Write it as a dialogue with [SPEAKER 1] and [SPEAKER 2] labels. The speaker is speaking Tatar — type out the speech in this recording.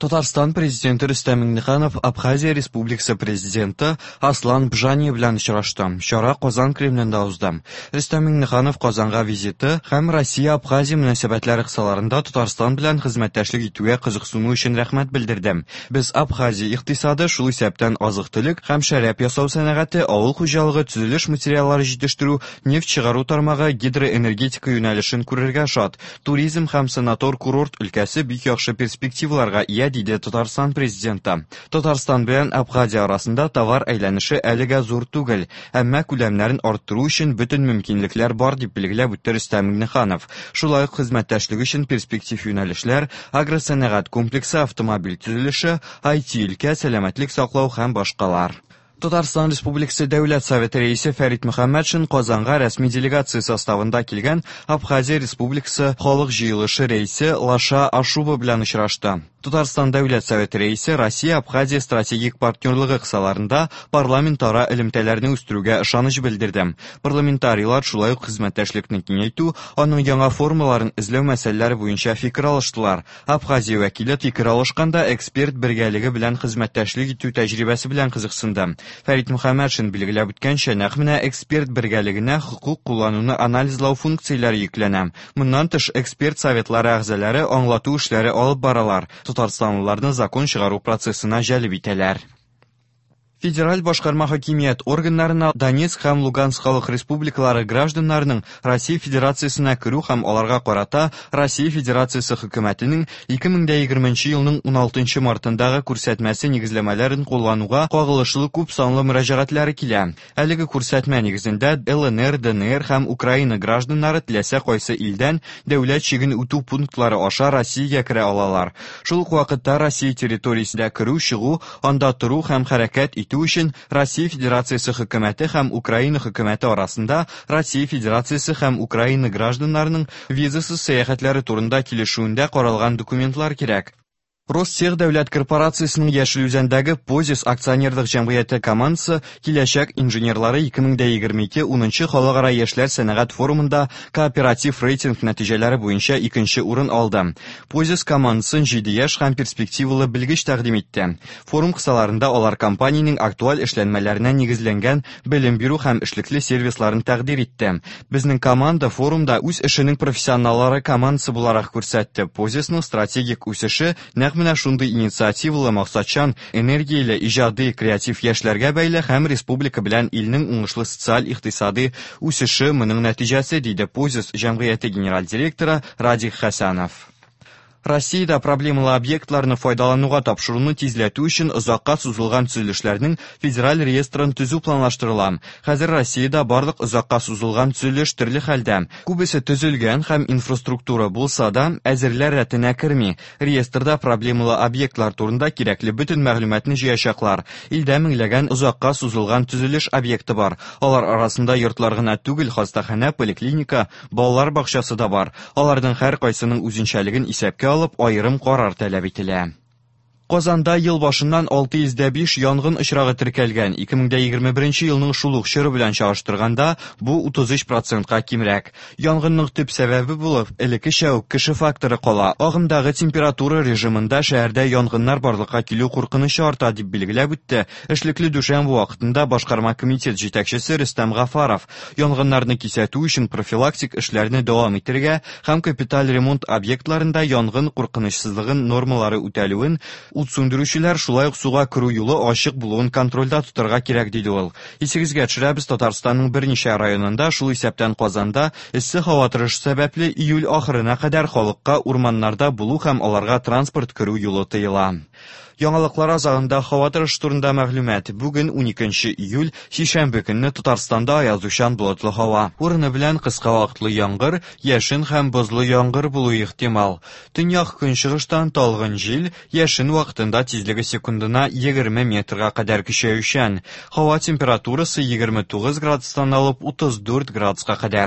[SPEAKER 1] Татарстан Президенты Рөстәм Миңнеханов Абхазия Республикасы Президенты Аслан Бжания белән очрашты. Чара Казан Кремлендә узды. Рөстәм Миңнеханов Казанга визиты һәм Россия-Абхазия мөнәсәбәтләре кысаларында Татарстан белән хезмәттәшлек итүгә кызыксыну өчен рәхмәт белдерде. Без Абхазия икътисады, шул исәптән азык-төлек һәм шәраб ясау сәнәгате, авыл хуҗалыгы, төзелеш материаллары җитештерү, нефть чыгару тармагы, гидроэнергетика юнәлешен күрергә шат. Туризм һәм санатор-курорт өлкәсе бик яхшы перспективаларга ия, диде Татарстан Президенты. Татарстан белән Абхазия арасында товар әйләнеше әлегә зур түгел, әмма күләмнәрен арттыру өчен бөтен мөмкинлекләр бар, дип билгеләп үтте Рөстәм Миңнеханов. Шулай ук хезмәттәшлек өчен перспектив юнәлешләр, агросәнәгать комплексы, автомобиль төзелеше, IT-өлкә, сәламәтлек саклау һәм башкалар. Татарстан Республикасы Дәүләт Советы Рәисе Фәрит Мөхәммәтшин Казанга рәсми делегация составында килгән Абхазия Республикасы Халык җыелышы рәисе Лаша Ашуба белән очрашты. Татарстан Дәүләт Советы Рәисе Россия-Абхазия стратегик партнерлыгы кысаларында парламентара элемтәләрне үстерүгә ышаныч белдерде. Парламентарийлар шулай ук хезмәттәшлекне киңәйтү, аның яңа формаларын эзләү мәсьәләләре буенча фикер алыштылар. Абхазия вәкиле фикер алышканда эксперт бергәлеге белән хезмәттәшлек итү тәҗрибәсе белән кызыксынды. Фәрит Мөхәммәтшин билгеләп үткәнчә, нәкъ менә эксперт бергәлегенә хокук куллануны анализлау функцияләре йөкләнә. Моннан тыш, эксперт советлары әгъзалары аңлату эшләре алып баралар, татарстанлыларны закон чыгару процессына җәлеп итәләр. Федераль башкарма хакимият органнарына Донецк һәм Луганск халык республикалары гражданнарының Россия Федерациясенә керү һәм аларга карата Россия Федерациясе Хөкүмәтенең 2020 елның 16 мартындагы күрсәтмәсе нигезләмәләрен куллануга кагылышлы күп санлы мөрәҗәгатьләре килә. Әлеге күрсәтмә нигезендә ЛНР, ДНР һәм Украина гражданнары теләсә кайсы илдән дәүләт чиген үтү пунктлары аша Россиягә керә алалар. Шул ук вакытта Россия территориясендә керү-чыгу анда тору һәм хәрәкәт итү өчен Россия Федерациясе Хөкүмәте һәм Украина Хөкүмәте арасында Россия Федерациясе һәм Украина гражданнарының визасыз сәяхәтләре турында килешүендә каралган документлар кирәк. Ростех дәүләт корпорациясенең Яшел Үзәндәге Позис акционерлык җәмгыяте командасы Киләчәк инженерлары 2022 унынчы халыкара яшьләр сәнәгать форумында кооператив рейтинг нәтиҗәләре буенча икенче урын алды. Позис командасын җиде яшь һәм перспективалы белгеч тәкъдим итте. Форум кысаларында алар компаниянең актуаль эшләнмәләренә нигезләнгән белем бирү һәм эшлекле сервисларын тәкъдир итте. Безнең команда форумда үз эшенең профессионаллары командасы буларак күрсәтте. Позисның стратегик үсеше нәкъ менә шундый инициативалы, максатчан, энергияле, иҗади, креатив яшьләргә бәйле һәм республика белән илнең уңышлы социаль-икътисади үсеше моның нәтиҗәсе, диде Позис җәмгыяте генераль директоры Радик Хәсәнов. Россиядә проблемалы объектларны файдалануга тапшыруны тизләтү өчен озакка сузылган төзелешләрнең федераль реестрын төзү планлаштырыла. Хәзер Россиядә барлык озакка сузылган төзелеш төрле хәлдә. Күбесе төзелгән һәм инфраструктура булса да, әзерләр рәтенә керми. Реестрда проблемалы объектлар турында кирәкле бөтен мәгълүматны җыячаклар. Илдә меңләгән озакка сузылган төзелеш объекты бар. Алар арасында йортлар гына түгел, хастаханә, поликлиника, балалар бакчасы да бар. Аларның һәркайсының үзенчәлеген исәпкә алып, аерым карар таләп ителә. Казанда ел башыннан 605 янгын очрагы теркәлгән. 2021 елның шул ук чоры белән чагыштырганда, бу 33 процентка кимрәк. Янгынның төп сәбәбе булып, элеккечә үк кеше факторы кала. Агымдагы температура режимында шәһәрдә янгыннар барлыкка килү куркынычы арта, дип билгеләп үтте эшлекле дүшәмбе вакытында башкарма комитет җитәкчесе Рөстәм Гафаров. Янгыннарны кисәтү өчен профилактик эшләрне дәвам итәргә һәм капиталь ремонт объектларында янгын куркынычсызлыгын нормалары үтәлүен, ут сүндерүчеләр шулай ук суга керү юлы ачык булуын контрольдә тотарга кирәк, диде ул. Исегезгә төшерәбез, Татарстанның берничә районында, шул исәптән Казанда, эссе һава торышы сәбәпле июль ахырына кадәр халыкка урманнарда булу һәм аларга транспорт керү юлы тыела. Яңалыклар азагында һава торышы турында мәгълүмат. Бүген 12 июль, сишәмбе көнне Татарстанда аязучан болытлы һава. Урыны белән кыска вакытлы яңгыр, яшен һәм бозлы яңгыр булуы ихтимал. Төньяк көнчыгыштан талгын җил, яшен вакытында тизлеге секундына 20 метрга кадәр көчәючән. Һава температурасы 29 градустан алып 34 градуска кадәр.